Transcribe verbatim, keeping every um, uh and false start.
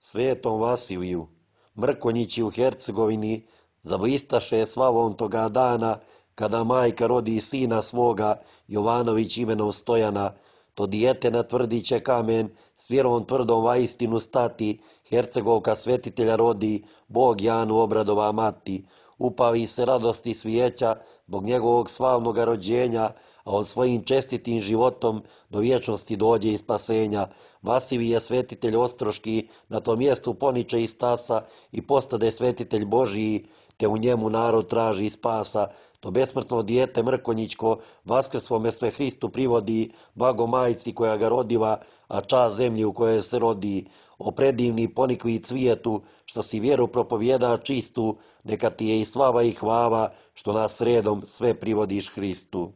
Svetom Vasiliju, Mrkonjići u Hercegovini, zablistaše slavom toga dana, kada majka rodi sina svoga, Jovanović imenom Stojana, to dijete na tvrdiće kamen, s vjerom tvrdom vaistinu stati, Hercegovka svetitelja rodi, Bog Janu obradova mati. Upavi se radosti svijeća, zbog njegovog slavnoga rođenja, a on svojim čestitim životom do vječnosti dođe i spasenja. Vasilij je svetitelj ostroški, na tom mjestu poniče i stasa i postade svetitelj Božiji, te u njemu narod traži spasa. To besmrtno dijete Mrkonjićko vaskrsvome sve Hristu privodi, blago majci koja ga rodiva, a čast zemlji u kojoj se rodi. O predivni ponikvi cvijetu, što si vjeru propovjeda čistu, neka ti je i slava i hvala, što nas redom sve privodiš Hristu.